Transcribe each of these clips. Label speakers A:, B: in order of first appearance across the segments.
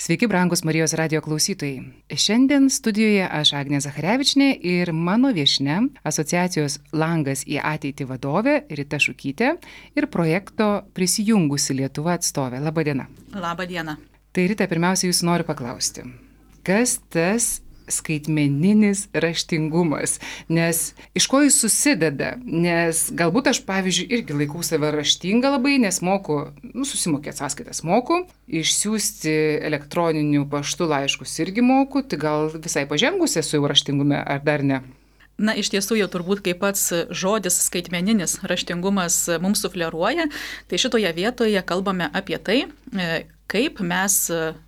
A: Sveiki, brangus Marijos radijo klausytojai. Šiandien studijoje aš Agnė Zacharevičnė ir mano viešnia asociacijos Langas į ateitį vadovė Rita Šukytė ir projekto Prisijungusi Lietuva atstovė. Labadiena.
B: Labadiena.
A: Tai Rita, pirmiausia, jūsų noriu paklausti, kas tas skaitmeninis raštingumas, nes iš ko jis susideda, nes galbūt aš, pavyzdžiui, irgi laikau save raštinga labai, nes moku, susimokėti sąskaitas moku, išsiųsti elektroniniu paštu laiškus irgi moku, tai gal visai pažengus esu jau raštingume, ar dar ne?
B: Na, iš tiesų jau turbūt kaip pats žodis skaitmeninis raštingumas mums sufleruoja, tai šitoje vietoje kalbame apie tai, kaip mes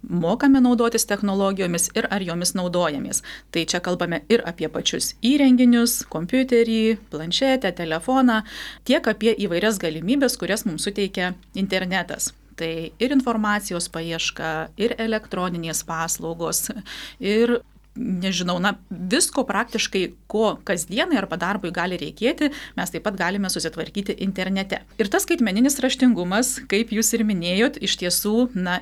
B: mokame naudotis technologijomis ir ar jomis naudojamės. Tai čia kalbame ir apie pačius įrenginius, kompiuterį, planšetę, telefoną, tiek apie įvairias galimybės, kurias mums suteikia internetas. Tai ir informacijos paieška, ir elektroninės paslaugos, ir nežinau, visko praktiškai, ko kasdienai arba darbui gali reikėti, mes taip pat galime susitvarkyti internete. Ir tas skaitmeninis raštingumas, kaip jūs ir minėjot, iš tiesų,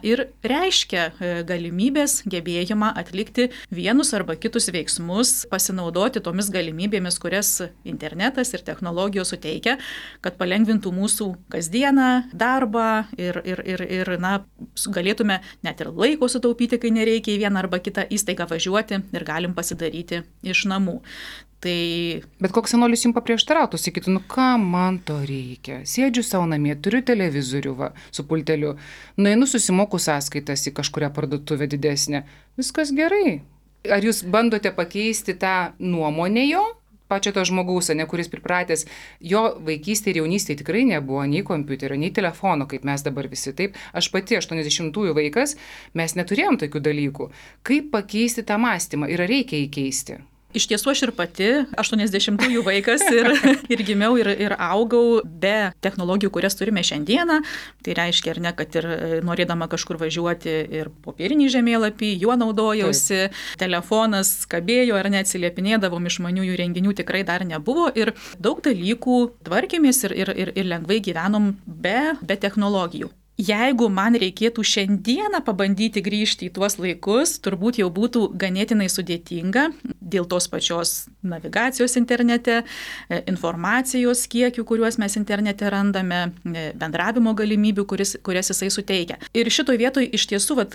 B: ir reiškia galimybės, gebėjimą atlikti vienus arba kitus veiksmus, pasinaudoti tomis galimybėmis, kurias internetas ir technologijos suteikia, kad palengvintų mūsų kasdieną, darbą ir galėtume net ir laiko sutaupyti, kai nereikia į vieną arba kitą įstaigą važiuoti ir galim pasidaryti iš namų.
A: Bet koks senolis jums paprieštarautų, sakytų, ką man to reikia? Sėdžiu savo namie, turiu televizorių su pulteliu, nueinu susimoku sąskaitas į kažkurią parduotuvę didesnę. Viskas gerai. Ar jūs bandote pakeisti tą nuomonę jo? Pačio to žmogaus, kuris pripratęs, jo vaikystė ir jaunystė tikrai nebuvo nei kompiuterio, nei telefono, kaip mes dabar visi. Taip, aš pati 80-ųjų vaikas, mes neturėjom tokių dalykų. Kaip pakeisti tą mąstymą ir ar reikia įkeisti?
B: Iš tiesų aš ir pati 80-ųjų vaikas ir gimiau ir augau be technologijų, kurias turime šiandieną. Tai reiškia, kad ir norėdama kažkur važiuoti ir popierinį žemėlapį, juo naudojausi, telefonas kabėjo ar neatsiliepinėdavom, išmaniųjų renginių tikrai dar nebuvo ir daug dalykų tvarkėmės ir lengvai gyvenom be technologijų. Jeigu man reikėtų šiandieną pabandyti grįžti į tuos laikus, turbūt jau būtų ganėtinai sudėtinga dėl tos pačios navigacijos internete, informacijos kiekių, kuriuos mes internete randame, bendravimo galimybių, kurias jisai suteikia. Ir šitoj vietoj iš tiesų,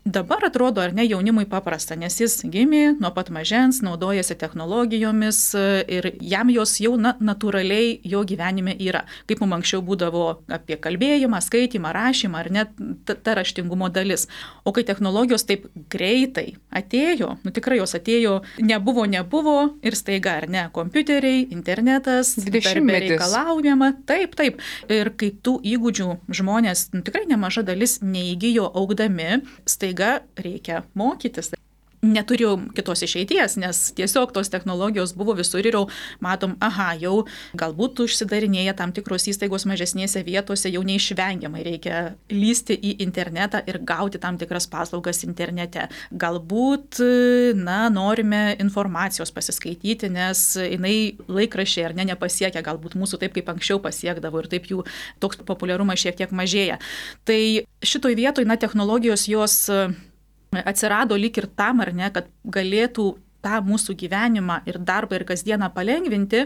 B: dabar atrodo, ar ne, jaunimui paprasta, nes jis gimė nuo pat mažens, naudojasi technologijomis ir jam jos jau natūraliai jo gyvenime yra. Kaip mums anksčiau būdavo apie kalbėjimą, skaitymą, rašymą, ar net ta raštingumo dalis. O kai technologijos taip greitai atėjo, tikrai jos atėjo, nebuvo ir staiga, ar ne, kompiuteriai, internetas, darbė reikalaujama, taip. Ir kai tų įgūdžių žmonės, tikrai nemaža dalis neįgijo augdami, staiga reikia mokytis. Neturėjau kitos išeities, nes tiesiog tos technologijos buvo visur ir jau matom, jau galbūt užsidarinėja tam tikros įstaigos mažesnėse vietose, jau neišvengiamai reikia lysti į internetą ir gauti tam tikras paslaugas internete. Galbūt, norime informacijos pasiskaityti, nes jinai laikraščiai ar nepasiekia galbūt mūsų taip, kaip anksčiau pasiekdavo ir taip jų toks populiarumas šiek tiek mažėja. Tai šitoj vietoj, technologijos jos atsirado lyg ir tam, ar ne, kad galėtų tą mūsų gyvenimą ir darbą ir kasdieną palengvinti,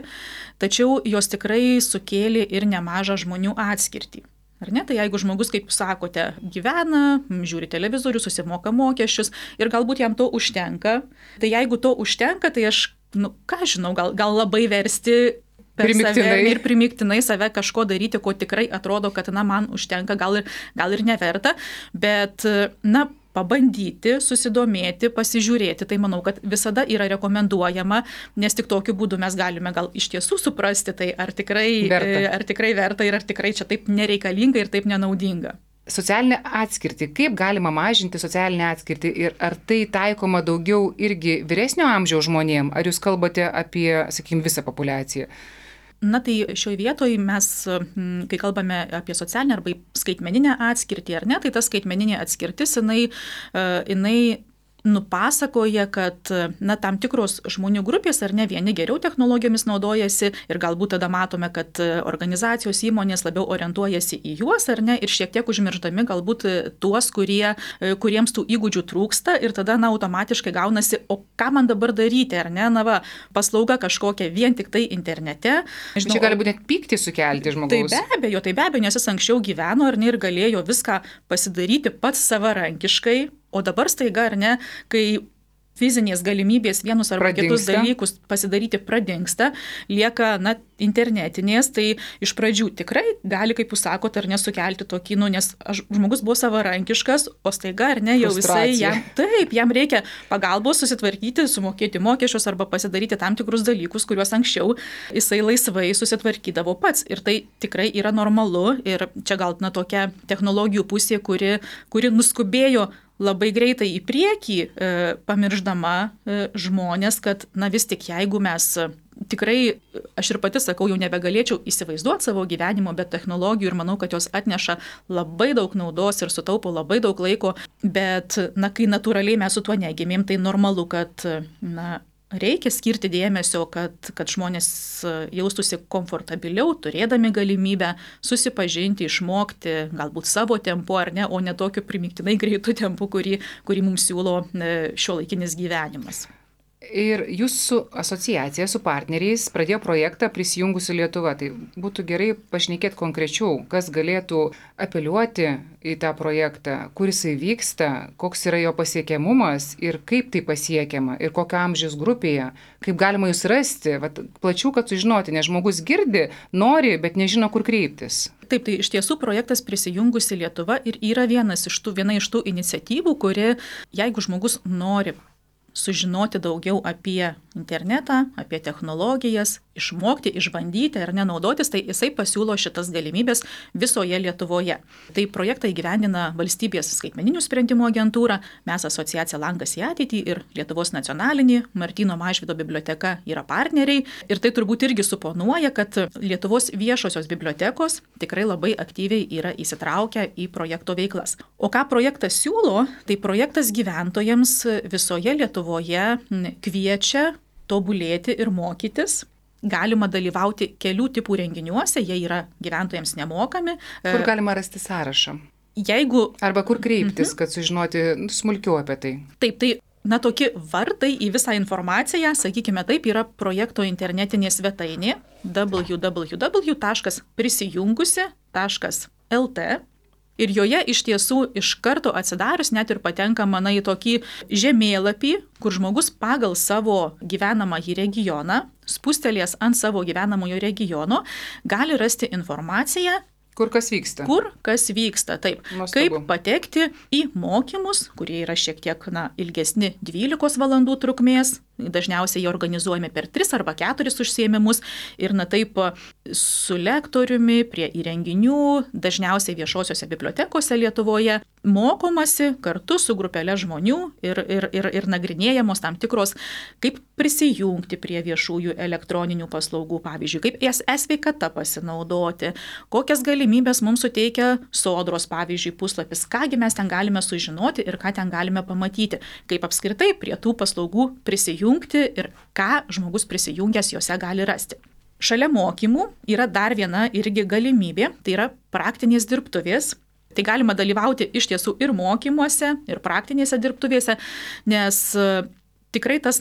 B: tačiau jos tikrai sukėlė ir nemažą žmonių atskirtį. Ar ne? Tai jeigu žmogus, kaip sakote, gyvena, žiūri televizorių, susimoka mokesčius ir galbūt jam to užtenka, tai jeigu to užtenka, tai aš, gal labai versti save ir primiktinai save kažko daryti, ko tikrai atrodo, kad man užtenka, gal ir neverta, bet pabandyti, susidomėti, pasižiūrėti, tai manau, kad visada yra rekomenduojama, nes tik tokiu būdu mes galime gal iš tiesų suprasti, tai ar tikrai verta ir ar tikrai čia taip nereikalinga ir taip nenaudinga.
A: Socialinė atskirtį. Kaip galima mažinti socialinę atskirtį ir ar tai taikoma daugiau irgi vyresnio amžiaus žmonėm? Ar jūs kalbate apie, visą populiaciją?
B: Tai šioje vietoje mes, kai kalbame apie socialinę arba skaitmeninę atskirtį, ar ne, tai ta skaitmeninė atskirtis, jinai nupasakoja, kad tam tikros žmonių grupės ar ne vieni geriau technologijomis naudojasi ir galbūt tada matome, kad organizacijos įmonės labiau orientuojasi į juos ar ne ir šiek tiek užmirždami galbūt tuos, kuriems tų įgūdžių trūksta ir tada automatiškai gaunasi, o ką man dabar daryti ar ne, paslauga kažkokia vien tik tai internete.
A: Žinau, čia gali būti net pyktį sukelti žmogaus.
B: Tai be abejo, nes jis anksčiau gyveno ar ne ir galėjo viską pasidaryti pats savarankiškai. O dabar staiga, ar ne, kai fizinės galimybės vienus arba kitus dalykus pasidaryti pradingsta, lieka internetinės, tai iš pradžių tikrai gali, kaip jūs sakote, ar nesukelti tokį, nes žmogus buvo savarankiškas, o staiga, ar ne, jau jam reikia pagalbos susitvarkyti, sumokėti mokesčius arba pasidaryti tam tikrus dalykus, kuriuos anksčiau jisai laisvai susitvarkydavo pats. Ir tai tikrai yra normalu ir čia gal tokia technologijų pusė, kuri nuskubėjo labai greitai į priekį, pamirždama žmonės, kad vis tik jeigu mes tikrai, aš ir pati sakau, jau nebegalėčiau įsivaizduoti savo gyvenimo be technologijų ir manau, kad jos atneša labai daug naudos ir sutaupo labai daug laiko, bet kai natūraliai mes su tuo negimėm, tai normalu, kad reikia skirti dėmesio, kad žmonės jaustųsi komfortabiliau, turėdami galimybę susipažinti, išmokti, galbūt savo tempu ar ne, o ne tokiu primygtinai greitu tempu, kurį mums siūlo šiuolaikinis gyvenimas.
A: Ir jūsų asociacija su partneriais pradėjo projektą Prisijungusi Lietuva. Tai būtų gerai pašnekėti konkrečiau, kas galėtų apeliuoti į tą projektą, kur jisai vyksta, koks yra jo pasiekiamumas ir kaip tai pasiekiama ir kokio amžiaus grupėje, kaip galima jūs rasti, plačiau, kad sužinoti, nes žmogus girdi, nori, bet nežino, kur kreiptis.
B: Taip, tai iš tiesų projektas Prisijungusi Lietuva ir yra viena iš tų iniciatyvų, kuri, jeigu žmogus nori sužinoti daugiau apie internetą, apie technologijas, išmokti, išbandyti ar nenaudotis, tai jisai pasiūlo šitas galimybės visoje Lietuvoje. Tai projektą įgyvendina Valstybės skaitmeninių sprendimų agentūra, mes asociacija Langas į ateitį ir Lietuvos nacionalinė Martyno Mažvydo biblioteka yra partneriai. Ir tai turbūt irgi suponuoja, kad Lietuvos viešosios bibliotekos tikrai labai aktyviai yra įsitraukę į projekto veiklas. O ką projektas siūlo, tai projektas gyventojams visoje Lietuvoje kviečia tobulėti ir mokytis. Galima dalyvauti kelių tipų renginiuose, jie yra gyventojams nemokami.
A: Kur galima rasti sąrašą?
B: Arba
A: kur kreiptis, kad sužinoti smulkiau apie tai?
B: Taip, tai tokie vartai į visą informaciją, sakykime taip, yra projekto internetinė svetainė www.prisijungusi.lt. Ir joje iš tiesų iš karto atsidarius net ir patenkama į tokį žemėlapį, kur žmogus pagal savo gyvenamąjį regioną, spustelės ant savo gyvenamojo regiono, gali rasti informaciją,
A: Kur kas vyksta?
B: Taip. Kaip patekti į mokymus, kurie yra šiek tiek ilgesni 12 valandų trukmės, dažniausiai jie organizuojami per 3 arba 4 užsiėmimus ir taip su lektoriumi prie įrenginių, dažniausiai viešosiose bibliotekose Lietuvoje, mokomasi kartu su grupelė žmonių ir nagrinėjamos tam tikros, kaip prisijungti prie viešųjų elektroninių paslaugų, pavyzdžiui, kaip e-sveikata pasinaudoti, kokias galimybės mums suteikia Sodros, pavyzdžiui, puslapis, kągi mes ten galime sužinoti ir ką ten galime pamatyti, kaip apskritai prie tų paslaugų prisijungti ir ką žmogus prisijungęs juose gali rasti. Šalia mokymų yra dar viena irgi galimybė, tai yra praktinės dirbtuvės. Tai galima dalyvauti iš tiesų ir mokymuose, ir praktinėse dirbtuvėse, nes tikrai tas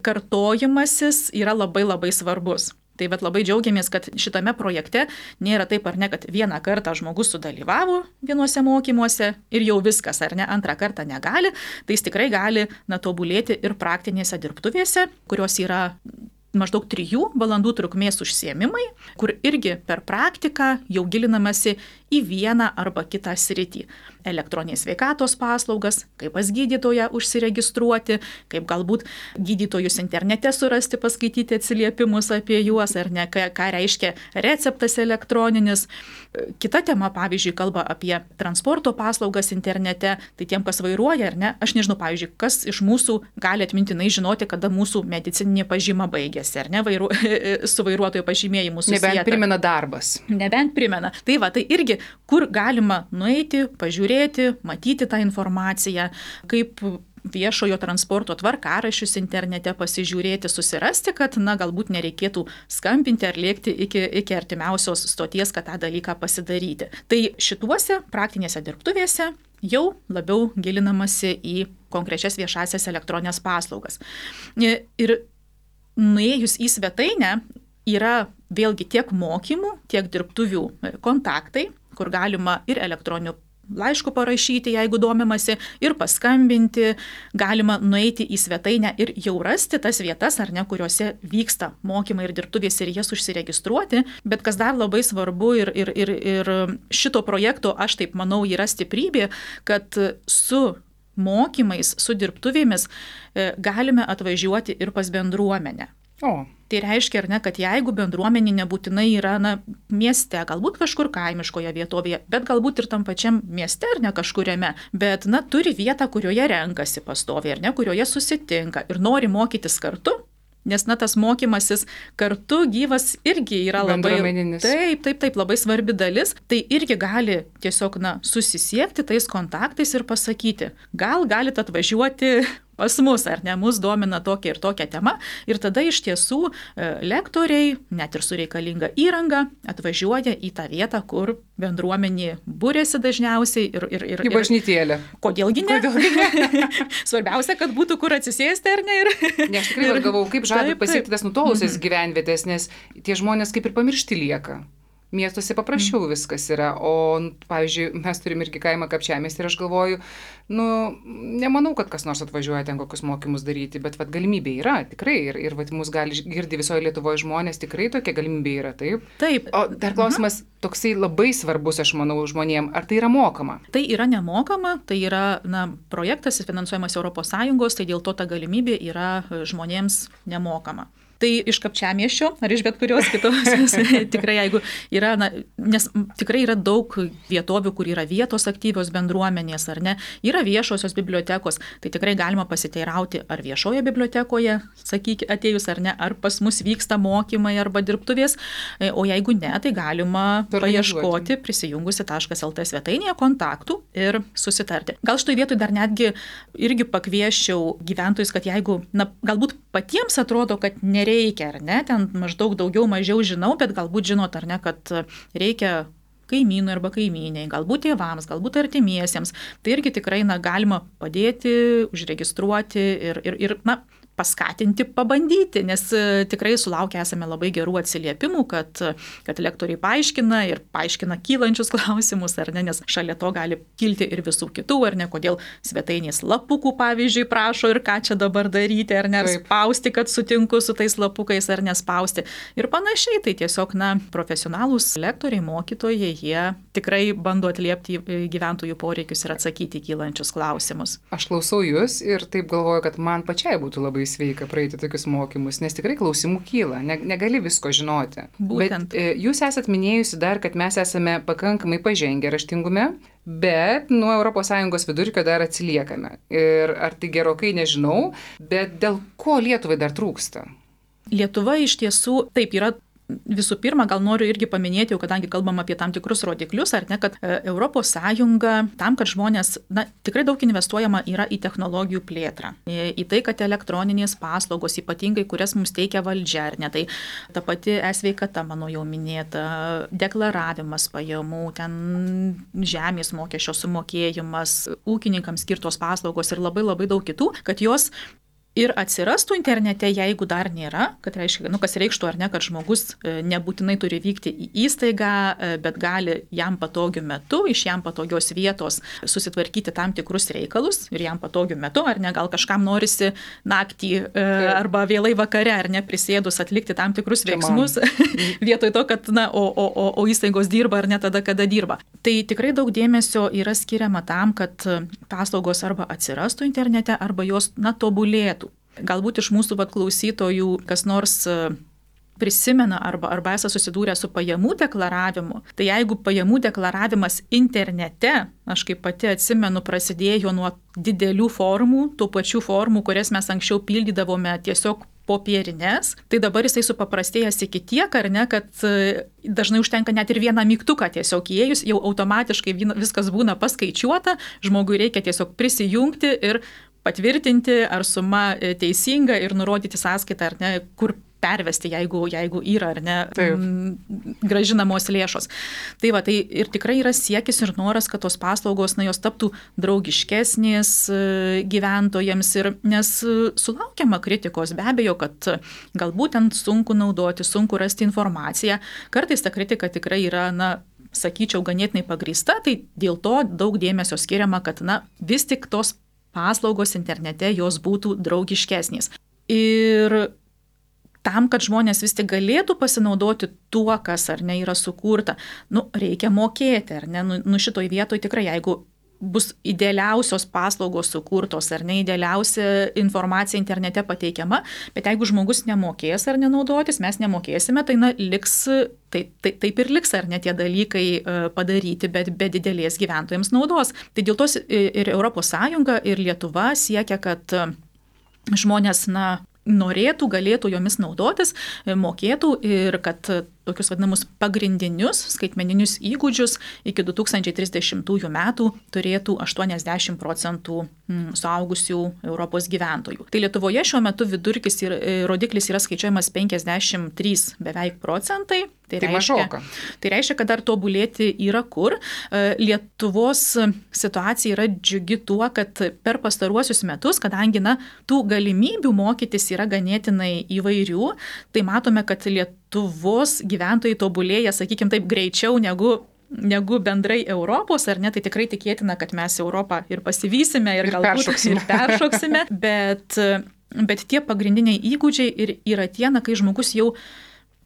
B: kartojimasis yra labai labai svarbus. Tai labai džiaugiamės, kad šitame projekte nėra taip ar ne, kad vieną kartą žmogus sudalyvavo vienuose mokymuose ir jau viskas, ar ne, antrą kartą negali. Tai jis tikrai gali tobulėti ir praktinėse dirbtuvėse, kurios yra maždaug 3 valandų trukmės užsiėmimai, kur irgi per praktiką jau gilinamasi į vieną arba kitą sritį. Elektroninės sveikatos paslaugas, kaip pas gydytoją užsiregistruoti, kaip galbūt gydytojus internete surasti, paskaityti atsiliepimus apie juos, ar ne, ką reiškia receptas elektroninis. Kita tema, pavyzdžiui, kalba apie transporto paslaugas internete, tai tiem, kas vairuoja, ar ne, aš nežinau, pavyzdžiui, kas iš mūsų gali atmintinai žinoti, kada mūsų medicininė pažyma baigėsi, ar ne, su vairuotojo pažymėjimu susieta.
A: Nebent primena darbas.
B: Nebent primena. Tai irgi, kur galima nueiti, pažiūrėti, matyti tą informaciją, kaip viešojo transporto tvarkaraščius internete pasižiūrėti, susirasti, kad, galbūt nereikėtų skambinti ar lėkti iki artimiausios stoties, kad tą dalyką pasidaryti. Tai šituose praktinėse dirbtuvėse jau labiau gilinamasi į konkrečias viešasias elektroninės paslaugas. Ir nuėjus į svetainę yra vėlgi tiek mokymų, tiek dirbtuvių kontaktai, kur galima ir elektroniniu laišku parašyti, jeigu domimasi, ir paskambinti, galima nueiti į svetainę ir jau rasti tas vietas, ar ne, kuriuose vyksta mokymai ir dirbtuvės ir jas užsiregistruoti, bet kas dar labai svarbu ir šito projekto, aš taip manau, yra stiprybė, kad su mokymais, su dirbtuvėmis galime atvažiuoti ir pas bendruomenę. Tai reiškia, ar ne, kad jeigu bendruomenė nebūtinai yra mieste, galbūt kažkur kaimiškoje vietovėje, bet galbūt ir tam pačiam mieste ar ne kažkuriame, bet turi vietą, kurioje renkasi pastoviai, ar ne, kurioje susitinka ir nori mokytis kartu, nes tas mokymasis kartu gyvas irgi yra labai labai svarbi dalis, tai irgi gali tiesiog susisiekti tais kontaktais ir pasakyti, gal galite atvažiuoti pas mus, ar ne, mus domina tokia ir tokia tema, ir tada iš tiesų lektoriai, net ir su reikalinga įranga, atvažiuoja į tą vietą, kur bendruomenė būrėsi dažniausiai ir
A: į bažnytėlę.
B: Kodėlgi ne? Svarbiausia, kad būtų kur atsisėsti, ar ne?
A: Ne, aš tikrai galvau, kaip žada pasiekti tas nutolusias gyvenvietės, nes tie žmonės kaip ir pamiršti lieka. Miestuose paprasčiau viskas yra, o, pavyzdžiui, mes turim irgi kaimą Kapčiamiestį ir aš galvoju, nemanau, kad kas nors atvažiuoja ten kokius mokymus daryti, bet galimybė yra, tikrai, ir mus gali girdi visoje Lietuvoje žmonės, tikrai tokia galimybė yra, taip?
B: Taip.
A: O dar klausimas toksai labai svarbus, aš manau, žmonėm, ar tai yra mokama?
B: Tai yra nemokama, tai yra, projektas finansuojamas ES, tai dėl to ta galimybė yra žmonėms nemokama. Tai iš Kapčiamiesčio ar iš bet kurios kitos, tikrai jeigu yra, nes tikrai yra daug vietovių, kur yra vietos aktyvios bendruomenės, ar ne, yra viešosios bibliotekos, tai tikrai galima pasiteirauti, ar viešoje bibliotekoje, sakyk, atėjus ar ne, ar pas mus vyksta mokymai arba dirbtuvės, o jeigu ne, tai galima paieškoti prisijungusi.lt svetainėje kontaktų ir susitarti. Gal štai vietoj dar netgi irgi pakvieščiau gyventojus, kad jeigu, galbūt patiems atrodo, kad nereikia, ar ne, ten maždaug daugiau mažiau žinau, bet galbūt žinot, ar ne, kad reikia kaimynui arba kaimyniai, galbūt tėvams, galbūt artimiesiems. Tai irgi tikrai galima padėti, užregistruoti ir paskatinti, pabandyti, nes tikrai sulaukę esame labai gerų atsiliepimų, kad lektoriai paaiškina kylančius klausimus, ar ne, nes šalia to gali kilti ir visų kitų, ar ne, kodėl svetainės lapukų, pavyzdžiui, prašo ir ką čia dabar daryti, ar ne, ar spausti, kad sutinku su tais lapukais, ar nespausti. Ir panašiai, tai tiesiog, profesionalūs lektoriai, mokytojai, jie tikrai bando atliepti gyventojų poreikius ir atsakyti kylančius klausimus.
A: Aš klausau jūs ir taip galvoju, kad man pačiai būtų labai sveika praeiti tokius mokymus, nes tikrai klausimų kyla, negali visko žinoti.
B: Būtent.
A: Bet jūs esat minėjusi dar, kad mes esame pakankamai pažengę raštingume, bet nuo ES vidurkio dar atsiliekame. Ir ar tai gerokai nežinau, bet dėl ko Lietuvai dar trūksta?
B: Lietuva iš tiesų, taip yra. Visų pirma, gal noriu irgi paminėti, jau kadangi kalbam apie tam tikrus rodiklius, ar ne, kad ES tam, kad žmonės, tikrai daug investuojama yra į technologijų plėtrą, į tai, kad elektroninės paslaugos, ypatingai, kurias mums teikia valdžia, ar ne, tai ta pati e-sveikata, mano jau minėta, deklaravimas pajamų, ten žemės mokesčio sumokėjimas, ūkininkams skirtos paslaugos ir labai labai daug kitų, kad jos ir atsirastų internete, jeigu dar nėra, kad reiškia, kas reikštų ar ne, kad žmogus nebūtinai turi vykti į įstaigą, bet gali jam patogiu metu, iš jam patogios vietos susitvarkyti tam tikrus reikalus ir jam patogiu metu, ar ne, gal kažkam norisi naktį arba vėlai vakare, ar ne, prisėdus atlikti tam tikrus veiksmus, vietoj to, kad, o įstaigos dirba ar ne tada, kada dirba. Tai tikrai daug dėmesio yra skiriama tam, kad paslaugos arba atsirastų internete, arba jos, tobulėtų. Galbūt iš mūsų klausytojų kas nors prisimena arba esą susidūrę su pajamų deklaravimu. Tai jeigu pajamų deklaravimas internete, aš kaip pati atsimenu, prasidėjo nuo didelių formų, tų pačių formų, kurias mes anksčiau pildydavome tiesiog popierinės, tai dabar jisai supaprastėjęs iki tiek, ar ne, kad dažnai užtenka net ir vieną mygtuką tiesiog įėjus, jau automatiškai viskas būna paskaičiuota, žmogui reikia tiesiog prisijungti ir patvirtinti, ar suma teisinga ir nurodyti sąskaitą, ar ne, kur pervesti, jeigu yra, ar ne, grąžinamos lėšos. Tai va, tai ir tikrai yra siekis ir noras, kad tos paslaugos, jos taptų draugiškesnės gyventojams, nes sulaukiama kritikos, be abejo, kad galbūt ten sunku naudoti, sunku rasti informaciją. Kartais ta kritika tikrai yra, sakyčiau, ganėtinai pagrįsta, tai dėl to daug dėmesio skiriama, kad, vis tik tos paslaugos internete jos būtų draugiškesnės. Ir tam, kad žmonės vis tik galėtų pasinaudoti tuo, kas ar ne yra sukurta, reikia mokėti, ar ne, šitoj vietoj tikrai, jeigu bus idealiausios paslaugos sukurtos, ar ne idealiausia informacija internete pateikiama, bet jeigu žmogus nemokės ar nenaudotis, mes nemokėsime, tai liks, taip ir liks, ar ne tie dalykai padaryti, bet be didelės gyventojams naudos. Tai dėl tos ir ES, ir Lietuva siekia, kad žmonės, norėtų, galėtų jomis naudotis, mokėtų ir kad tokius vadinamus pagrindinius skaitmeninius įgūdžius iki 2030 metų turėtų 80% suaugusių Europos gyventojų. Tai Lietuvoje šiuo metu vidurkis ir rodiklis yra skaičiuojamas 53 beveik procentai. Tai reiškia, kad dar tobulėti yra kur. Lietuvos situacija yra džiugi tuo, kad per pastaruosius metus, kadangi tų galimybių mokytis yra ganėtinai įvairių, tai matome, kad Lietuvos gyventojai tobulėja, sakykime taip, greičiau negu bendrai Europos, ar ne, tai tikrai tikėtina, kad mes Europą ir pasivysime ir galbūt peršoksime, bet tie pagrindiniai įgūdžiai yra tie, kai žmogus jau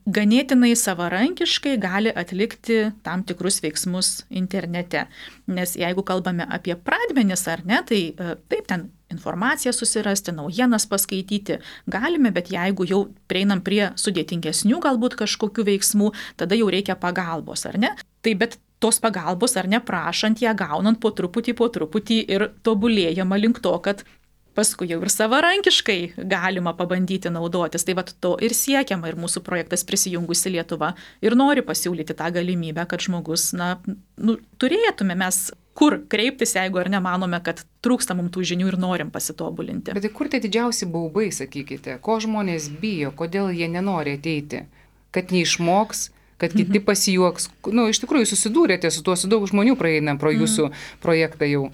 B: ganėtinai savarankiškai gali atlikti tam tikrus veiksmus internete. Nes jeigu kalbame apie pradmenis, ar ne, tai taip, ten informaciją susirasti, naujienas paskaityti galime, bet jeigu jau prieinam prie sudėtingesnių galbūt kažkokių veiksmų, tada jau reikia pagalbos, ar ne? Tai bet tos pagalbos, ar ne, prašant ją, gaunant po truputį ir tobulėjama link to, kad paskui jau ir savarankiškai galima pabandyti naudotis. Tai vat to ir siekiama, ir mūsų projektas Prisijungusi Lietuva ir nori pasiūlyti tą galimybę, kad žmogus, turėtume mes kur kreiptis, jeigu ar nemanome, kad trūksta mums tų žinių ir norim pasitobulinti.
A: Bet kur tie didžiausi baubai, sakykite? Ko žmonės bijo, kodėl jie nenori ateiti? Kad neišmoks, kad kiti pasijuoks? Iš tikrųjų susidūrėte su tuo, su daug žmonių praeina pro jūsų projektą jau.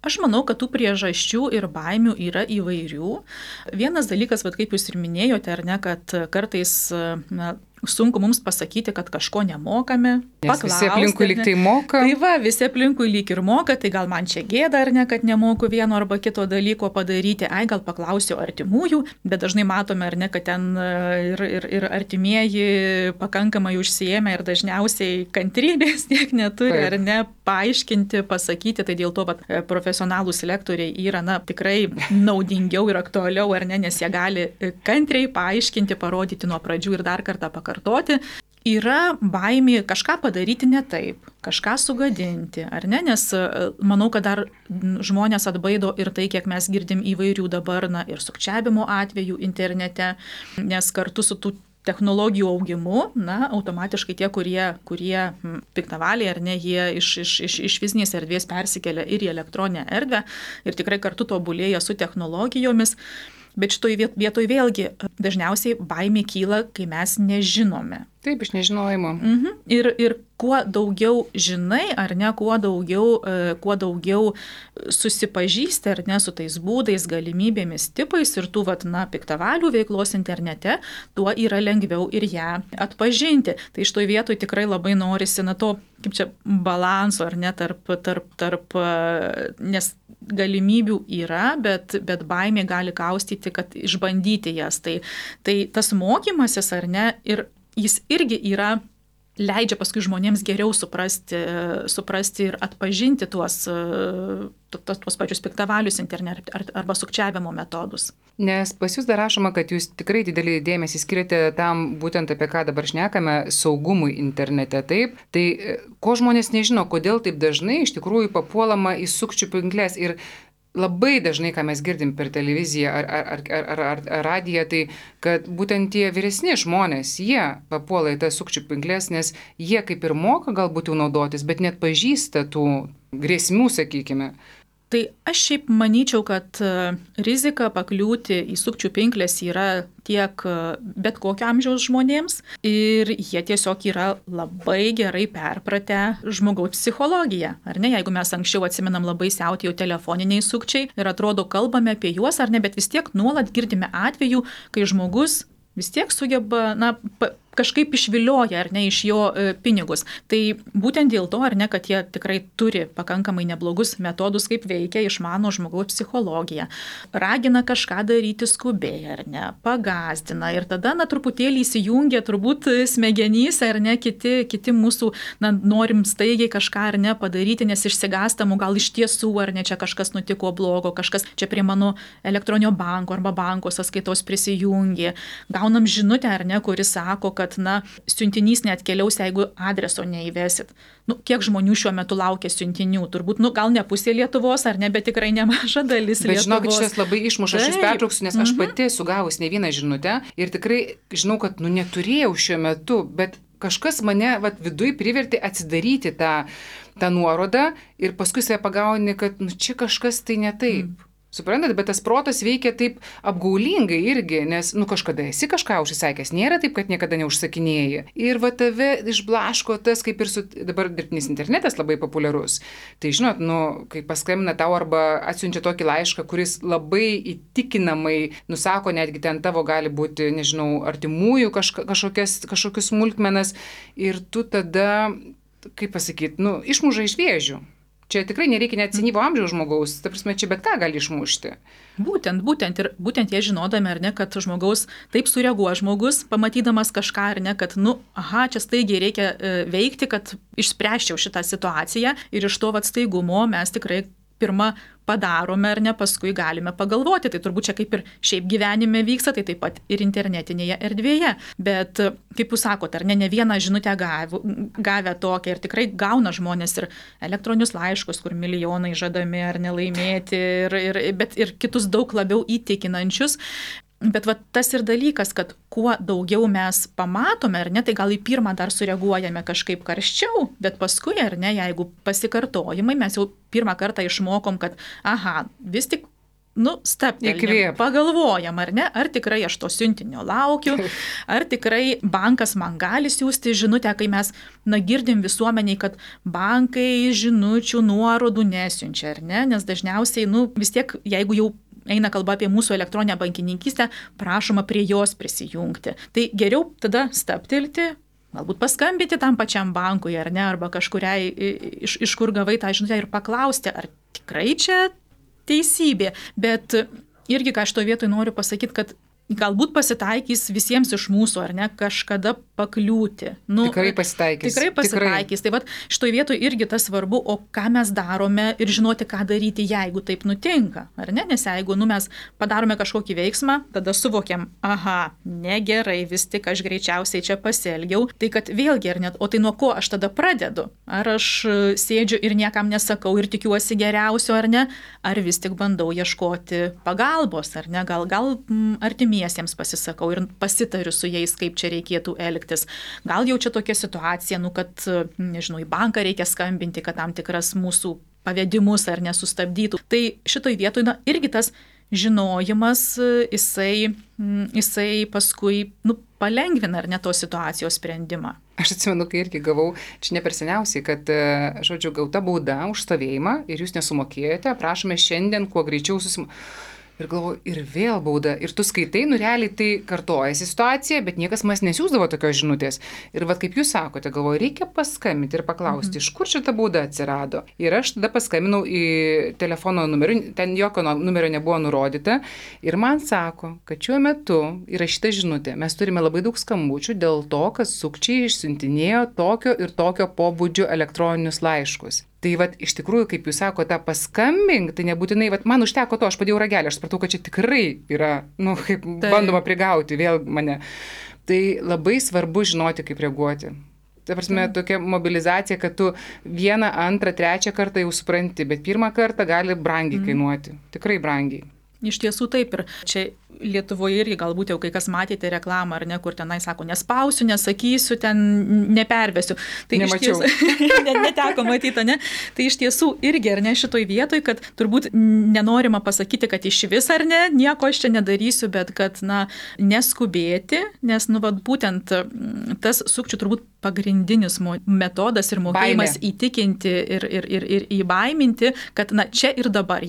B: Aš manau, kad tų priežasčių ir baimių yra įvairių. Vienas dalykas, kaip jūs ir minėjote, ar ne, kad kartais sunku mums pasakyti, kad kažko nemokame.
A: Nes visi aplinkui lyg tai moka.
B: Tai va, visi aplinkui lyg ir moka, tai gal man čia gėda, ar ne, kad nemoku vieno arba kito dalyko padaryti. Gal paklausiu artimųjų, bet dažnai matome, ar ne, kad ten ir artimieji pakankamai užsiėmę ir dažniausiai kantrybės tiek neturi, ar ne, paaiškinti, pasakyti. Tai dėl to profesionalūs lektoriai yra tikrai naudingiau ir aktualiau, ar ne, nes jie gali kantriai paaiškinti, parodyti nuo pradžių ir dar kartą pakartoti. Yra baimė kažką padaryti ne taip, kažką sugadinti, ar ne, nes manau, kad dar žmonės atbaido ir tai, kiek mes girdim įvairių dabar, ir sukčiavimo atvejų internete, nes kartu su tų technologijų augimu, automatiškai tie, kurie piktavaliai, ar ne, jie iš fizinės erdvės persikelia ir į elektroninę erdvę ir tikrai kartu tobulėja su technologijomis. Bet šitoj vietoj vėlgi dažniausiai baimė kyla, kai mes nežinome.
A: Taip, iš nežinojimo.
B: Ir kuo daugiau žinai, ar ne, kuo daugiau susipažįsti, ar ne, su tais būdais, galimybėmis, tipais ir tų, piktavalių veiklos internete, tuo yra lengviau ir ją atpažinti. Tai šitoj vietoj tikrai labai norisi to, kaip čia, balanso, ar ne, tarp nes galimybių yra, bet baimė gali kaustyti, kad išbandyti jas. Tai tas mokymasis, ar ne, ir jis irgi leidžia paskui žmonėms geriau suprasti ir atpažinti tuos pačius piktavalius internete arba sukčiavimo metodus.
A: Nes pas jūs dar rašoma, kad jūs tikrai didelį dėmesį skiriate tam, būtent apie ką dabar šnekame, saugumui internete, taip? Tai ko žmonės nežino, kodėl taip dažnai iš tikrųjų papuolama į sukčių pinkles ir labai dažnai, ką mes girdim per televiziją ar radiją, tai kad būtent tie vyresni žmonės, jie papuola į tas sukčių pinkles, nes jie kaip ir moka galbūt jau naudotis, bet net pažįsta tų grėsmių, sakykime.
B: Tai aš šiaip manyčiau, kad rizika pakliūti į sukčių pinklės yra tiek bet kokio amžiaus žmonėms ir jie tiesiog yra labai gerai perpratę žmogaus psichologiją. Ar ne, jeigu mes anksčiau atsimenam labai siautėjo telefoniniai sukčiai ir atrodo kalbame apie juos ar ne, bet vis tiek nuolat girdime atvejų, kai žmogus vis tiek sugeba, kažkaip išvilioja, ar ne, iš jo pinigus. Tai būtent dėl to, ar ne, kad jie tikrai turi pakankamai neblogus metodus, kaip veikia, išmano žmogaus psichologiją. Ragina kažką daryti skubiai, ar ne, pagazdina ir tada, truputėlį įsijungia turbūt smegenys, ar ne, kiti mūsų, norim staigiai kažką, ar ne, padaryti, nes išsigastam, gal iš tiesų, ar ne, čia kažkas nutiko blogo, kažkas čia prie mano elektroninio banko arba banko sąskaitos prisijungė. Gaunam žinutę, ar ne, kuris sako, kad siuntinys neatkeliaus, jeigu adreso neįvesit. Kiek žmonių šiuo metu laukia siuntinių? Turbūt, gal ne pusė Lietuvos, ar ne, bet tikrai nemaža dalis Lietuvos. Bet
A: žinokit, šitas labai išmuša, aš jūs pertrauksiu, nes aš pati esu gavus ne vieną žinutę ir tikrai žinau, kad neturėjau šiuo metu, bet kažkas mane viduj privertė atsidaryti tą nuorodą ir paskui save pagauni, kad čia kažkas tai ne taip. Suprantat, bet tas protas veikia taip apgaulingai irgi, nes, kažkada esi kažką užsisakęs, nėra taip, kad niekada neužsakinėji. Ir tave išblaško tas, kaip ir dabar dirbtinis internetas labai populiarus. Tai žinot, kai paskambina tau arba atsiunčia tokį laišką, kuris labai įtikinamai nusako, netgi ten tavo gali būti, nežinau, artimųjų kažkokius smulkmenas ir tu tada, kaip pasakyti, išmuša iš vėžių. Čia tikrai nereikia net senyvo amžiaus žmogaus, ta prasme, čia bet ką gali išmušti.
B: Būtent jie žinodami, ar ne, kad žmogaus taip sureaguoja žmogus, pamatydamas kažką, ar ne, kad, čia staigiai reikia veikti, kad išspręsčiau šitą situaciją ir iš to staigumo mes tikrai pirmą padarome, ar ne, paskui galime pagalvoti. Tai turbūt čia kaip ir šiaip gyvenime vyksta, tai taip pat ir internetinėje erdvėje. Bet, kaip jūs sakote, ar ne vieną žinutę gavę tokią ir tikrai gauna žmonės ir elektroninius laiškus, kur milijonai žadami ar nelaimėti, bet ir kitus daug labiau įtikinančius. Bet tas ir dalykas, kad kuo daugiau mes pamatome, ar ne, tai gal į pirmą dar sureaguojame kažkaip karščiau, bet paskui, ar ne, jeigu pasikartojimai, mes jau pirmą kartą išmokom, kad, vis tik, stabtelim, pagalvojam, ar ne, ar tikrai aš to siuntinio laukiu, ar tikrai bankas man gali siūsti žinutę, kai mes, girdim visuomeniai, kad bankai žinučių nuorodų nesiunčia, ar ne, nes dažniausiai, vis tiek, jeigu jau eina kalba apie mūsų elektroninę bankininkystę, prašoma prie jos prisijungti. Tai geriau tada stabtelti, galbūt paskambinti tam pačiam bankui, ar ne, arba kažkuriai, iš kur gavai tą žinutę ir paklausti, ar tikrai čia teisybė. Bet irgi, ką aš to vietoj noriu pasakyti, kad galbūt pasitaikys visiems iš mūsų, ar ne, kažkada pakliūti.
A: Tikrai pasitaikys.
B: Tikrai pasitaikys. Tai šitoj vietoj irgi tas svarbu, o ką mes darome ir žinoti, ką daryti, jeigu taip nutinka. Ar ne? Nes jeigu mes padarome kažkokį veiksmą, tada suvokiam, negerai, vis tik aš greičiausiai čia pasielgiau. Tai kad vėlgi, ar net, o tai nuo ko aš tada pradedu? Ar aš sėdžiu ir niekam nesakau ir tikiuosi geriausio, ar ne? Ar vis tik bandau ieškoti pagalbos, ar ne? Gal artimiesiems pasisakau ir pasitariu su jais, kaip čia reikėtų elgtis. Gal jau čia tokia situacija, kad, nežinau, į banką reikia skambinti, kad tam tikras mūsų pavedimus ar nesustabdytų. Tai šitoj vietoj irgi tas žinojimas, jisai paskui palengvina ar ne tos situacijos sprendimą.
A: Aš atsimenu, kai irgi gavau, čia ne per seniausiai, kad, gauta bauda už stovėjimą ir jūs nesumokėjote, prašome šiandien kuo greičiau Ir galvoju, ir vėl bauda. Ir tu skaitai, realiai tai kartojasi situacija, bet niekas man nesiųsdavo tokios žinutės. Ir kaip jūs sakote, galvoju, reikia paskambinti ir paklausti, iš kur šita bauda atsirado. Ir aš tada paskambinau į telefono numerį, ten jokio numerio nebuvo nurodyta. Ir man sako, kad šiuo metu yra šita žinutė. Mes turime labai daug skambučių dėl to, kad sukčiai išsiuntinėjo tokio ir tokio pobūdžio elektroninius laiškus. Tai iš tikrųjų, kaip jūs sakote, tą paskambink, tai nebūtinai, man užteko to, aš padėjau ragelį, aš supratau, kad čia tikrai yra, kaip bandoma prigauti vėl mane. Tai labai svarbu žinoti, kaip reaguoti. Ta prasme, tokia mobilizacija, kad tu vieną, antrą, trečią kartą jau supranti, bet pirmą kartą gali brangiai kainuoti, tikrai brangiai.
B: Iš tiesų taip ir čia Lietuvoje irgi galbūt jau kai kas matėte reklamą, ar ne, kur tenai sako, nespausiu, nesakysiu, ten nepervesiu. Tai
A: nemačiau.
B: Neteko matyti, ne? Tai iš tiesų irgi, ar ne, šitoj vietoj, kad turbūt nenorima pasakyti, kad iš vis ar ne, nieko aš čia nedarysiu, bet kad, na, neskubėti, nes, nu, vat, būtent tas sukčių turbūt pagrindinis metodas ir mokėjimas įtikinti ir įbaiminti, kad, na, čia ir dabar,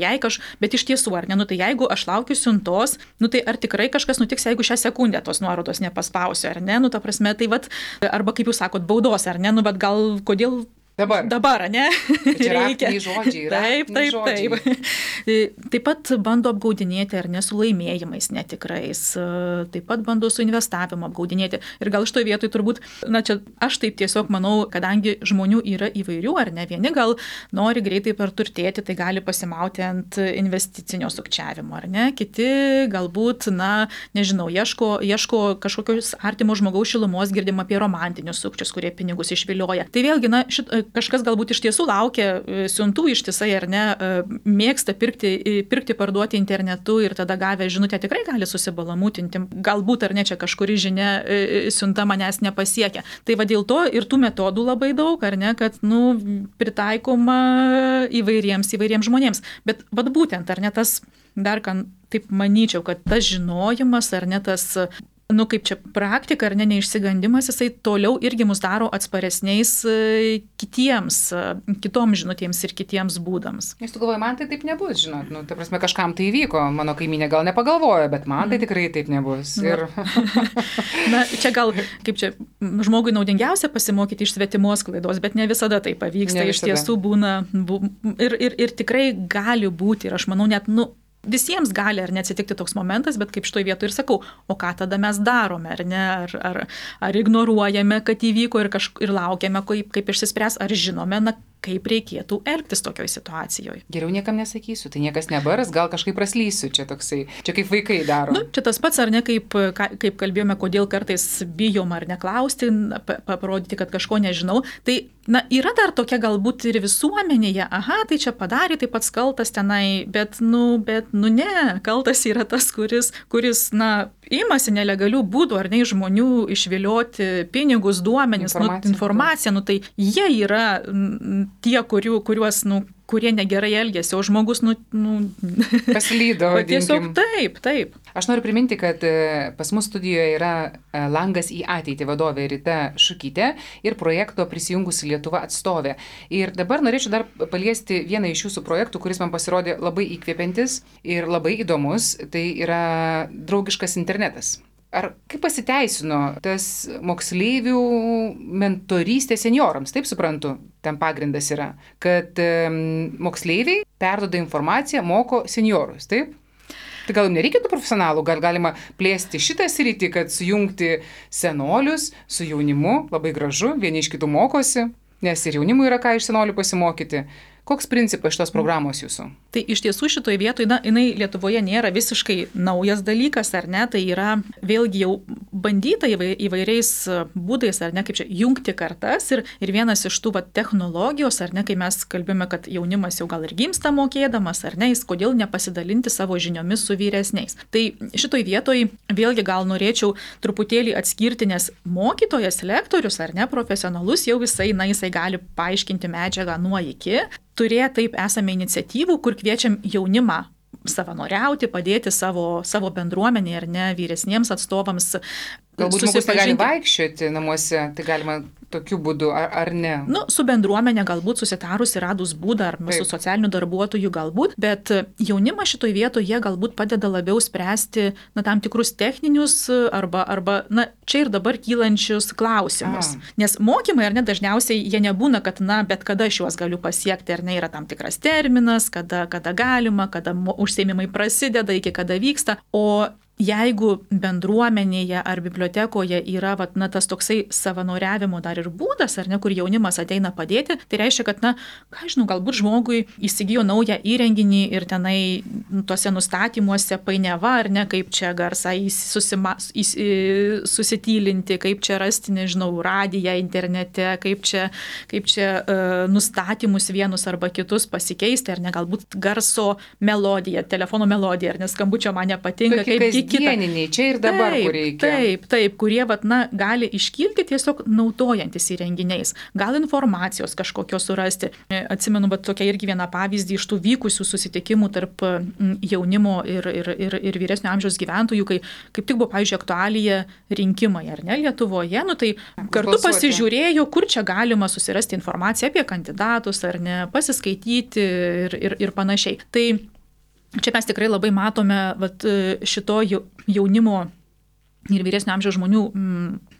B: bet iš tiesų, ar ne, nu, tai jeigu aš laukiu siuntos, nu, tai ar tikrai kažkas nutiks, jeigu šią sekundę tos nuorodos nepaspausiu, ar ne, nu, ta prasme, tai vat, arba kaip jūs sakot, baudos, ar ne, nu, bet gal kodėl Dabar, ne?
A: Reikia. Žodžiai,
B: taip. Taip pat bando apgaudinėti ar ne su laimėjimais netikrais, taip pat bando su investavimu apgaudinėti. Ir gal šitoje vietoje turbūt, na čia aš taip tiesiog manau, kadangi žmonių yra įvairių, ar ne, vieni gal nori greitai perturtėti, tai gali pasimauti ant investicinio sukčiavimo, ar ne, kiti galbūt, na, nežinau, ieško kažkokios artimo žmogaus šilumos, girdim apie romantinius sukčius, kurie pinigus išvilioja. Tai vėlgi, na, kažkas galbūt iš tiesų laukia siuntų ištisai ar ne, mėgsta pirkti, parduoti internetu ir tada gavę žinutę tikrai gali susibalamutinti. Galbūt ar ne čia kažkuri žinia siunta manęs nepasiekia. Tai va dėl to ir tų metodų labai daug, ar ne, kad, nu, pritaikoma įvairiems žmonėms. Bet vad būtent, ar ne, tas dar kan, taip manyčiau, kad tas žinojimas, ar ne, tas nu, kaip čia praktika, ar ne, neišsigandimas, jisai toliau irgi mus daro atsparesniais kitoms žinutėms ir kitiems būdams.
A: Jūs tu galvoji, man tai taip nebus, žinot, nu, ta prasme, kažkam tai įvyko, mano kaimynė gal nepagalvojo, bet man tai tikrai taip nebus. Ir...
B: Na, čia gal, kaip čia, žmogui naudingiausia pasimokyti iš svetimos klaidos, bet ne visada tai pavyksta, iš tiesų būna, ir tikrai gali būti, ir aš manau net, nu, visiems gali ar neatsitikti toks momentas, bet kaip šitoj vietoj ir sakau, o ką tada mes darome, ar ne, ar ignoruojame, kad įvyko ir laukiame, kaip išsispręs, ar žinome, na, kaip reikėtų elgtis tokioj situacijoje.
A: Geriau niekam nesakysiu, tai niekas nebaras, gal kažkaip praslysiu, čia toksai, čia kaip vaikai daro.
B: Nu, čia tas pats, ar ne, kaip kalbėjome, kodėl kartais bijom ar neklausti, parodyti, kad kažko nežinau. Tai, na, yra dar tokia galbūt ir visuomenėje, aha, tai čia padarė, taip pats kaltas tenai, bet ne, kaltas yra tas, kuris, na, imasi nelegalių būdų, ar ne, žmonių išvilioti pinigus, duomenis, informaciją, nu, tai jie yra tie, kuriuos, nu, kurie negerai elgėsi, o žmogus,
A: paslydo.
B: Tiesiog taip.
A: Aš noriu priminti, kad pas mus studijoje yra Langas į ateitį vadovė Rita Šukytė ir projekto Prisijungusi Lietuva atstovė. Ir dabar norėčiau dar paliesti vieną iš jūsų projektų, kuris man pasirodė labai įkvepiantis ir labai įdomus. Tai yra draugiškas internetas. Ar kaip pasiteisino tas moksleivių mentorystė seniorams, taip suprantu, ten pagrindas yra, kad moksleiviai perduoda informaciją, moko seniorus, taip? Tai gal nereikėtų profesionalų, gal galima plėsti šitą sritį, kad sujungti senolius su jaunimu, labai gražu, vieni iš kitų mokosi, nes ir jaunimui yra ką iš senolių pasimokyti. Koks principas šitos programos jūsų?
B: Tai iš tiesų šitoje vietoje, na, jinai Lietuvoje nėra visiškai naujas dalykas, ar ne, tai yra vėlgi jau bandyta įvairiais būdais, ar ne, kaip čia jungti kartas ir vienas iš tų technologijos, ar ne, kai mes kalbėjome, kad jaunimas jau gal ir gimsta mokėdamas, ar ne, jis kodėl nepasidalinti savo žiniomis su vyresniais. Tai šitoje vietoje vėlgi gal norėčiau truputėlį atskirti, nes mokytojas, lektorius, ar ne, profesionalus jau jisai gali paaiškinti medžiagą nuo iki. Turėję taip esame iniciatyvų, kur kviečiam jaunimą savanoriauti, padėti savo bendruomenėje ar ne vyresniems atstovams.
A: Galbūt žmogus negali vaikščioti namuose, tai galima tokiu būdu, ar ne?
B: Nu, su bendruomenė galbūt susitarus ir radus būdą, ar su socialiniu darbuotoju galbūt, bet jaunimas šitoje vietoje jie galbūt padeda labiau spręsti tam tikrus techninius arba čia ir dabar kylančius klausimus. Nes mokymai, ar ne, dažniausiai jie nebūna, kad bet kada aš juos galiu pasiekti, ar ne, yra tam tikras terminas, kada galima, kada užsiėmimai prasideda, iki kada vyksta, o jeigu bendruomenėje ar bibliotekoje yra tas toksai savanoriavimo dar ir būdas, ar ne, kur jaunimas ateina padėti, tai reiškia, kad, galbūt žmogui įsigijo naują įrenginį ir tenai tose nustatymuose painiava, ar ne, kaip čia garsą susitylinti, kaip čia rasti, radiją internete, kaip čia nustatymus vienus arba kitus pasikeisti, ar ne, galbūt garso melodiją, telefono melodiją, ar ne, skambučio man nepatinka, kaip
A: kasdieniniai, čia ir dabar, kur reikia.
B: Taip, kurie gali iškilti tiesiog naudojantis įrenginiais, gal informacijos kažkokios surasti. Atsimenu, bet tokia irgi viena pavyzdį iš tų vykusių susitikimų tarp jaunimo ir vyresnio amžiaus gyventojų, kai kaip tik buvo, pavyzdžiui, aktualija rinkimai, ar ne, Lietuvoje, tai kartu pasižiūrėjo, kur čia galima susirasti informaciją apie kandidatus, ar ne, pasiskaityti ir panašiai. Tai čia mes tikrai labai matome šito jaunimo ir vyresnio amžiaus žmonių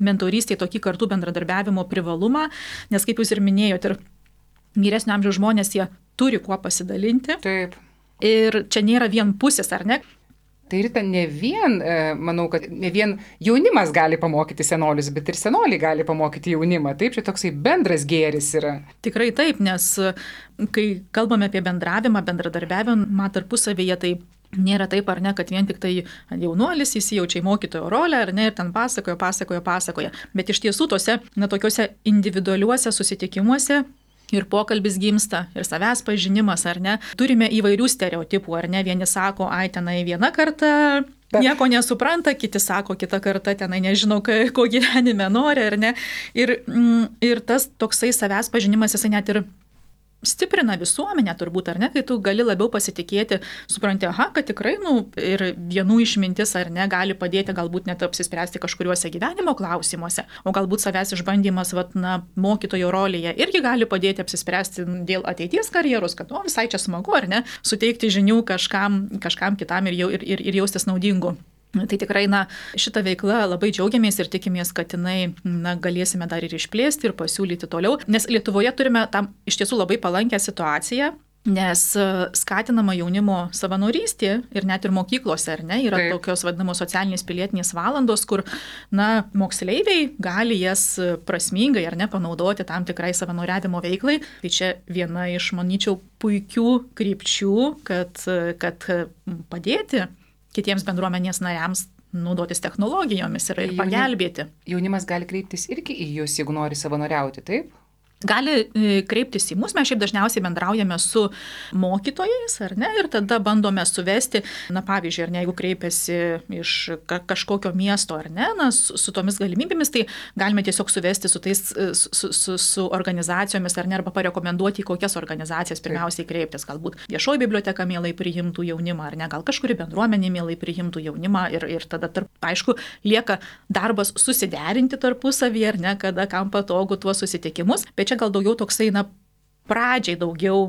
B: mentorystėje tokį kartu bendradarbiavimo privalumą, nes kaip jūs ir minėjote, ir vyresnio amžiaus žmonės jie turi kuo pasidalinti.
A: Taip.
B: Ir čia nėra vien pusės, ar ne?
A: Tai Rita, manau, kad ne vien jaunimas gali pamokyti senolius, bet ir senoliai gali pamokyti jaunimą. Taip, čia toksai bendras gėris yra.
B: Tikrai taip, nes kai kalbame apie bendravimą, bendradarbiavimą tarpusavyje, tai nėra taip, ar ne, kad vien tik tai jaunuolis įsijaučia į mokytojo rolę, ar ne, ir ten pasakoja. Bet iš tiesų tose, tokiuose individualiuose susitikimuose ir pokalbis gimsta, ir savęs pažinimas, ar ne. Turime įvairių stereotipų, ar ne. Vieni sako, tenai vieną kartą nieko nesupranta, kiti sako, kitą kartą tenai nežinau, ko gyvenime nori, ar ne. Ir tas toksai savęs pažinimas, jisai net ir stiprina visuomenę turbūt, ar ne, kai tu gali labiau pasitikėti, supranti, kad tikrai, ir vienų išmintis, ar ne, gali padėti galbūt net apsispręsti kažkuriuose gyvenimo klausimuose, o galbūt savęs išbandymas, mokytojo rolėje irgi gali padėti apsispręsti dėl ateities karjeros, kad, visai čia smagu, ar ne, suteikti žinių kažkam kitam ir jaustis naudingu. Tai tikrai, šitą veiklą labai džiaugiamės ir tikimės, kad jinai, galėsime dar ir išplėsti ir pasiūlyti toliau. Nes Lietuvoje turime tam iš tiesų labai palankę situaciją, nes skatinama jaunimo savanorystė ir net ir mokyklose, ar ne, yra tokios vadinamos socialinės pilietinės valandos, kur, moksleiviai gali jas prasmingai, ar ne, panaudoti tam tikrai savanoriavimo veiklai. Tai čia viena iš, manyčiau, puikių krypčių, kad padėti kitiems bendruomenės nariams naudotis technologijomis ir pagelbėti.
A: Jaunimas gali kreiptis irgi į jūs, jeigu nori savanoriauti, taip?
B: Gali kreiptis į mus, mes šiaip dažniausiai bendraujame su mokytojais, ar ne, ir tada bandome suvesti, pavyzdžiui, ar ne, jeigu kreipiasi iš kažkokio miesto, ar ne, su tomis galimybėmis, tai galime tiesiog suvesti su organizacijomis, ar ne, arba parekomenduoti, į kokias organizacijas pirmiausiai kreiptis, galbūt viešoji biblioteka mielai priimtų jaunimą, ar ne, gal kažkuri bendruomenė mielai priimtų jaunimą ir tada, aišku, lieka darbas susiderinti tarpusavyje, ar ne, kada kam patogu tuos susitikimus, bet čia gal daugiau toksai, pradžiai daugiau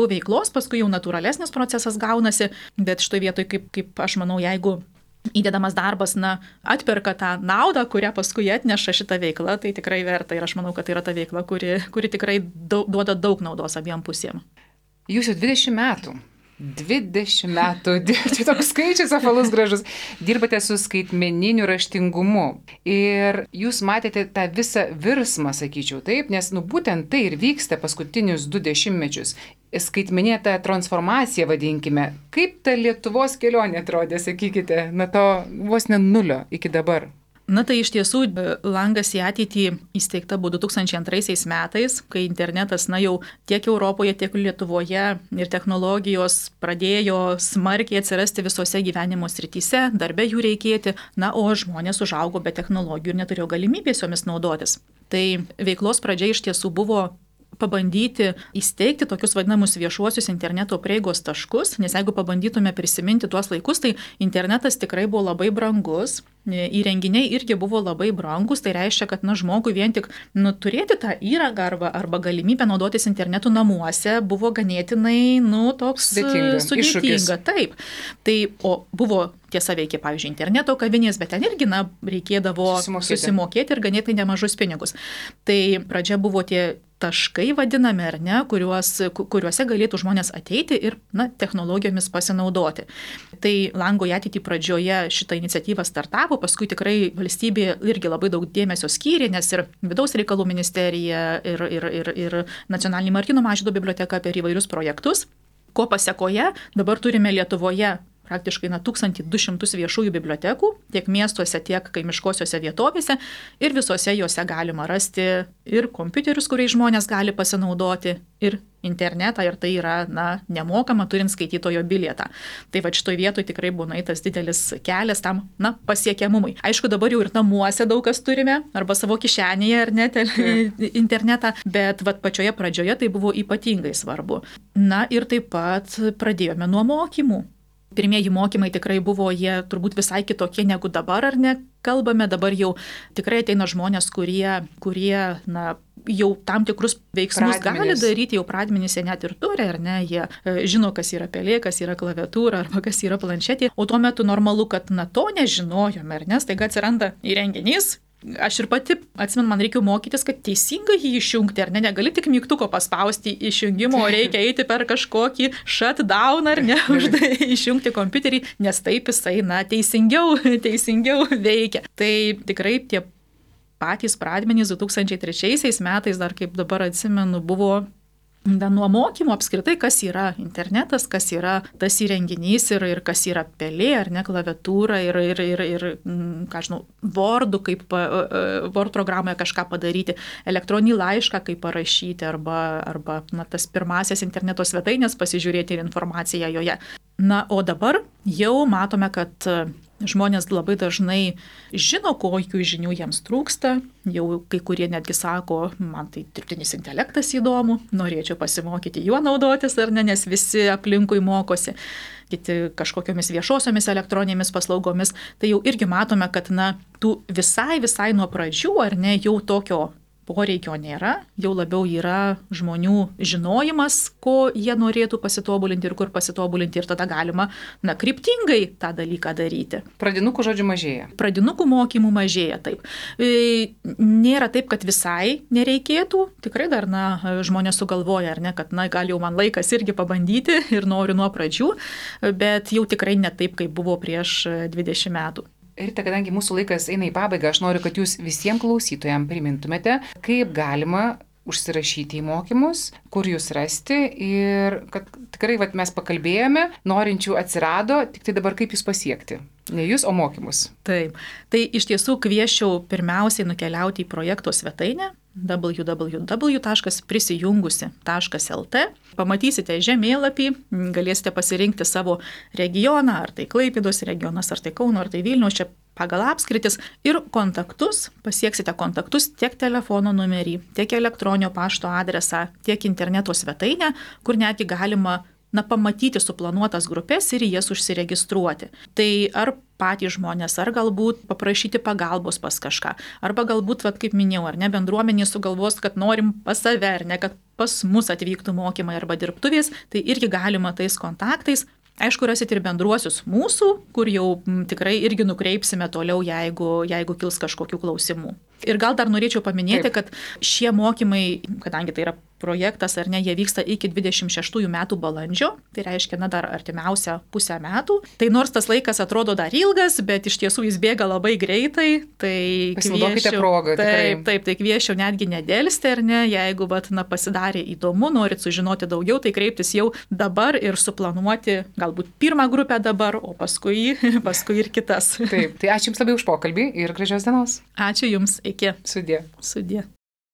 B: veiklos, paskui jau natūralesnis procesas gaunasi, bet šitoj vietoj, kaip aš manau, jeigu įdedamas darbas, atperka tą naudą, kurią paskui atneša šitą veiklą, tai tikrai verta ir aš manau, kad tai yra ta veikla, kuri tikrai duoda daug naudos abiem pusėm.
A: Jūs jau 20 metų. 20 metų, čia toks skaičius apvalus gražus, dirbate su skaitmeniniu raštingumu ir jūs matėte tą visą virsmą, sakyčiau, taip, nes būtent tai ir vyksta paskutinius 2 dešimtmečius. Skaitmeninė ta transformacija, vadinkime, kaip ta Lietuvos kelionė atrodė, sakykite, to vos ne nulio iki dabar.
B: Tai iš tiesų langas į ateitį įsteigta buvo 2002 metais, kai internetas jau tiek Europoje, tiek Lietuvoje ir technologijos pradėjo smarkiai atsirasti visose gyvenimo srityse, darbe jų reikėti, o žmonės užaugo be technologijų ir neturėjo galimybės jomis naudotis. Tai veiklos pradžia iš tiesų buvo pabandyti įsteigti tokius vadinamus viešuosius interneto prieigos taškus, nes jeigu pabandytume prisiminti tuos laikus, tai internetas tikrai buvo labai brangus, įrenginiai irgi buvo labai brangus, tai reiškia, kad žmogui vien tik turėti tą įrangą arba galimybę naudotis internetu namuose buvo ganėtinai toks sudėtinga. Taip. Tai buvo tiesa veikia, pavyzdžiui, interneto kavinės, bet ten irgi reikėdavo susimokėti ir ganėtinai nemažus pinigus. Tai pradžia buvo tie taškai vadinami, ar ne, kuriuose galėtų žmonės ateiti ir technologijomis pasinaudoti. Tai lango į ateitį pradžioje šitą iniciatyvą startavo, paskui tikrai valstybė irgi labai daug dėmesio skyrė, nes ir Vidaus reikalų ministerija ir Nacionalinė Martyno Mažvydo biblioteka per įvairius projektus. Ko pasekoje dabar turime Lietuvoje praktiškai 1200 viešųjų bibliotekų, tiek miestuose, tiek kaimiškosiuose vietovėse ir visose juose galima rasti ir kompiuterius, kuriais žmonės gali pasinaudoti, ir internetą, ir tai yra nemokama, turint skaitytojo bilietą. Tai va šitoj vietoj tikrai būna tas didelis kelias tam pasiekiamumui. Aišku, dabar jau ir namuose daug kas turime, arba savo kišenėje, ar net internetą, bet va pačioje pradžioje tai buvo ypatingai svarbu. Ir taip pat pradėjome nuo mokymų. Pirmieji mokymai tikrai buvo, jie turbūt visai kitokie negu dabar, ar ne, kalbame. Dabar jau tikrai ateina žmonės, kurie jau tam tikrus veiksmus gali daryti, jau pradmenys jie net ir turi, ar ne, jie žino, kas yra pelė, kas yra klaviatūra, arba kas yra planšetė. O tuo metu normalu, kad to nežinojome, ar ne, staiga atsiranda įrenginys. Aš ir pati atsimenu, man reikia mokytis, kad teisingai jį išjungti, ar ne, negali tik mygtuko paspausti išjungimo, reikia eiti per kažkokį shutdown, ar ne, išjungti kompiuterį, nes taip jisai, teisingiau veikia. Tai tikrai tie patys pradmenys 2003 metais, dar kaip dabar atsimenu, buvo nuo mokymo apskritai, kas yra internetas, kas yra tas įrenginys ir kas yra pelė, ar ne, klaviatūra ir ką žinau, Word'u, kaip Word programoje kažką padaryti, elektroninį laišką kaip parašyti, arba tas pirmasias interneto svetainės pasižiūrėti ir informaciją joje. O dabar jau matome, kad žmonės labai dažnai žino, kokių žinių jiems trūksta. Jau kai kurie netgi sako, man tai dirbtinis intelektas įdomu, norėčiau pasimokyti juo naudotis, ar ne, nes visi aplinkui mokosi. Kiti kažkokiamis viešosiomis elektroninėmis paslaugomis. Tai jau irgi matome, kad tų visai nuo pradžių, ar ne, jau tokio poreikio nėra, jau labiau yra žmonių žinojimas, ko jie norėtų pasitobulinti ir kur pasitobulinti, ir tada galima kryptingai tą dalyką daryti.
A: Pradinukų žodžiu mažėja.
B: Pradinukų mokymų mažėja, taip. Nėra taip, kad visai nereikėtų, tikrai dar žmonės sugalvoja, ar ne, kad gal jau man laikas irgi pabandyti ir noriu nuo pradžių, bet jau tikrai ne taip, kaip buvo prieš 20 metų.
A: Rita, kadangi mūsų laikas eina į pabaigą, aš noriu, kad jūs visiems klausytojams primintumėte, kaip galima užsirašyti į mokymus, kur jūs rasti ir kad tikrai mes pakalbėjome, norinčių atsirado, tik tai dabar kaip jūs pasiekti. Ne jūs, o mokymus.
B: Taip. Tai iš tiesų kviesčiau pirmiausiai nukeliauti į projekto svetainę www.prisijungusi.lt. Pamatysite žemėlapį, galėsite pasirinkti savo regioną, ar tai Klaipėdos regionas, ar tai Kauno, ar tai Vilniaus, čia pagal apskritis, ir kontaktus, pasieksite kontaktus tiek telefono numerį, tiek elektroninio pašto adresą, tiek interneto svetainę, kur netgi galima pamatyti suplanuotas grupės ir į jas užsiregistruoti. Tai ar patys žmonės, ar galbūt paprašyti pagalbos pas kažką, arba galbūt, kaip minėjau, ar ne, bendruomenė sugalvos, kad norim pas save, ar ne, kad pas mus atvyktų mokymai arba dirbtuvės, tai irgi galima tais kontaktais. Aišku, rasit ir bendruosius mūsų, kur jau tikrai irgi nukreipsime toliau, jeigu kils kažkokių klausimų. Ir gal dar norėčiau paminėti, kad šie mokymai, kadangi tai yra projektas, ar ne, jie vyksta iki 26 metų balandžio, tai reiškia, dar artimiausia pusę metų. Tai nors tas laikas atrodo dar ilgas, bet iš tiesų jis bėga labai greitai, tai
A: pasinaudokite progą.
B: Taip, tai kviesčiau netgi nedelsti, ar ne, jeigu pasidarė įdomu, norit sužinoti daugiau, tai kreiptis jau dabar ir suplanuoti galbūt pirmą grupę dabar, o paskui ir kitas.
A: Taip, tai ačiū Jums labai už pokalbį ir gražios dienos.
B: Ačiū Jums, iki.
A: Sudie.